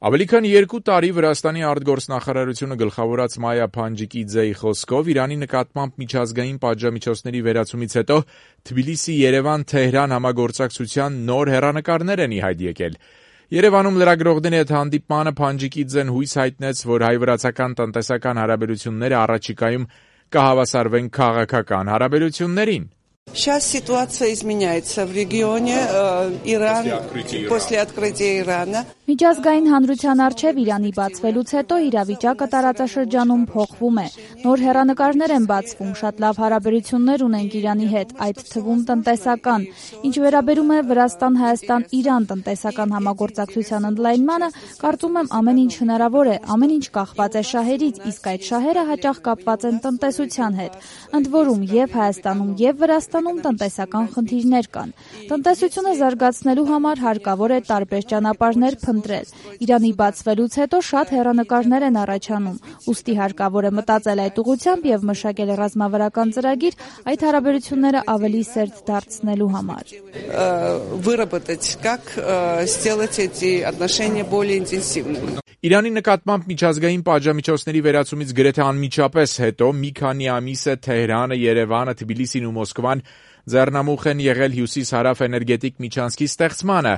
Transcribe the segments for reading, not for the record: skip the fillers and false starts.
Ավելի քան 2 տարի Վրաստանի արտգործնախարարությունը գլխավորած Մայա Փանջիկիձեի խոսքով Իրանի նկատմամբ միջազգային պատժամիջոցների վերացումից հետո Թբիլիսի-Երևան-Թեհրան համագործակցության նոր հեռանկարներ են ի հայտ եկել։ Երևանում լրագրողների հետ հանդիպմանը Փանջիկիձեն հույս հայտնեց, որ հայ-վրացական տնտեսական հարաբերությունները առաջիկայում կհավասարվեն քաղաքական հարաբերություններին։ Сейчас ситуация изменяется в регионе. Իրան после открытия Իրանը Միջազգային հանրության առջև Իրանի բացվելուց հետո իրավիճակը տարածաշրջանում փոխվում է։ Նոր հեռանկարներ են բացվում, շատ լավ հարաբերություններ ունենք Իրանի հետ, այդ թվում տնտեսական։ Ինչ վերաբերում է Վրաստան-Հայաստան-Իրան տնտեսական համագործակցության ընդլայնմանը, կարծում եմ ամեն ինչ հնարավոր է, ամեն ինչ կախված է շահերից, իսկ այդ շահերը հաճախ կապված են տնտեսության հետ։ Ընդ որում եւ Հայաստանում եւ Վրաստանում տնտեսական խնդիրներ կան։ Տնտեսությունը զարգացնելու համար հարկավոր է տարբեր ճանապարհներ փնտրել։ Իրանի բացվելուց հետո շատ հեռանկարներ են առաջանում, ուստի հարկավոր է մտածել այդ ուղղությամբ եւ մշակել ռազմավարական ծրագիր այդ հարաբերությունները ավելի սերտ դարձնելու համար։ Выработать, как сделать эти отношения более интенсивными. Իրանի նկատմամբ միջազգային պատժամիջոցների վերացումից գրեթե անմիջապես հետո մի քանի ամիս է Թեհրանը, Երևանը, Թբիլիսին ու Մոսկվան ձեռնամուխ են եղել հյուսիս-հարավ էներգետիկ միջանցքի ստեղծմանը,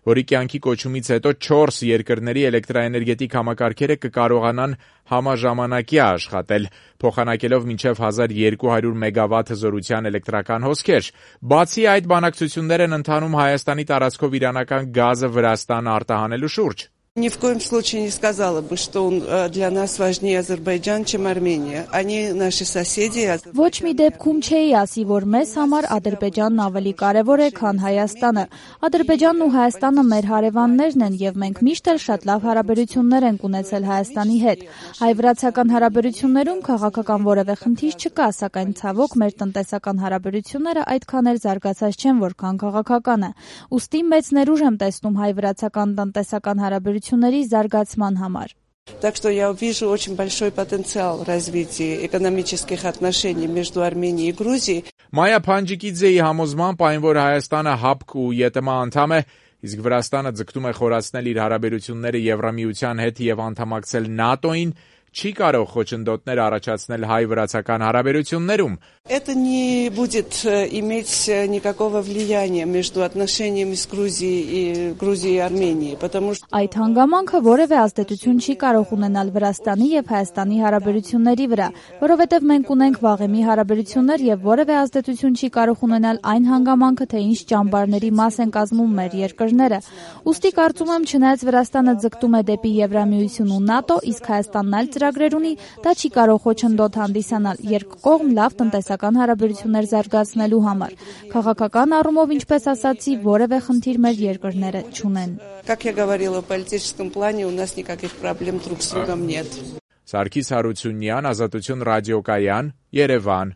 որի կյանքի կոչումից հետո 4 երկրների էլեկտրաէներգետիկ համակարգերը կկարողանան համաժամանակյա աշխատել, փոխանակելով մինչև 1200 մեգավատ հզորության էլեկտրական հոսքեր։ Բացի այդ, բանակցություններ են ընթանում Հայաստանի տարածքով իրանական գազը Վրաստան արտահանելու շուրջ։ Ни в коем случае не сказала бы, что он для нас важнее Азербайджан, чем Армения. Они наши соседи. Ոչ մի դեպքում չէի ասի, որ մեզ համար Ադրբեջանն ավելի կարևոր է, քան Հայաստանը։ Ադրբեջանն ու Հայաստանը մեր հարևաններն են եւ մենք միշտ էլ շատ լավ հարաբերություններ ենք ունեցել Հայաստանի հետ։ Հայ-վրացական հարաբերություններում քաղաքական որևէ խնդիր չկա, սակայն ցավոք մեր տնտեսական հարաբերությունները այդքան էլ զարգացած չեն, որքան քաղաքականը։ Ուստի մեծ ներուժ եմ տեսնում հայ-վրացական տնտեսական հարաբերությունների զարգացման համար։ Так что я вижу очень большой потенциал развития экономических отношений между Арменией и Грузией. Մայա Փանջիկիձեի համոզմամբ այն, որ Հայաստանը ՀԱՊԿ ու ԵՏՄ անդամ է, իսկ Վրաստանը ձգտում է խորացնել իր հարաբերությունները Եվրամիության հետ եւ անդամակցել ՆԱՏՕ-ին, չի կարող խոչընդոտներ առաջացնել հայ-վրացական հարաբերություններում։ Это не будет иметь никакого влияния между отношениями с Грузией и Арменией, потому что այդ հանգամանքը որևէ ազդեցություն չի կարող ունենալ Վրաստանի եւ Հայաստանի հարաբերությունների վրա, որովհետեւ մենք ունենք վաղեմի հարաբերություններ եւ որևէ ազդեցություն չի կարող ունենալ այն հանգամանքը, թե ինչ ճամբարների մաս են կազմում մեր երկրները։ Ուստի կարծում եմ, չնայած Վրաստանը ձգտում է դեպի Եվրամիություն ու ՆԱՏՕ, իսկ Հայաստանն այլ ծրագրեր ունի, դա չի կարող խոչընդոտ հանդիսանալ երկկողմ լավ տնտեսական հարաբերություններ զարգացնելու համար։ Քաղաքական առումով, ինչպես ասացի, որևէ խնդիր մեր երկրները չունեն։ Как я говорила, в политическом плане у нас никаких проблем друг с другом нет. Սարգիս Հարությունյան, Ազատություն ռադիոկայան, Երևան։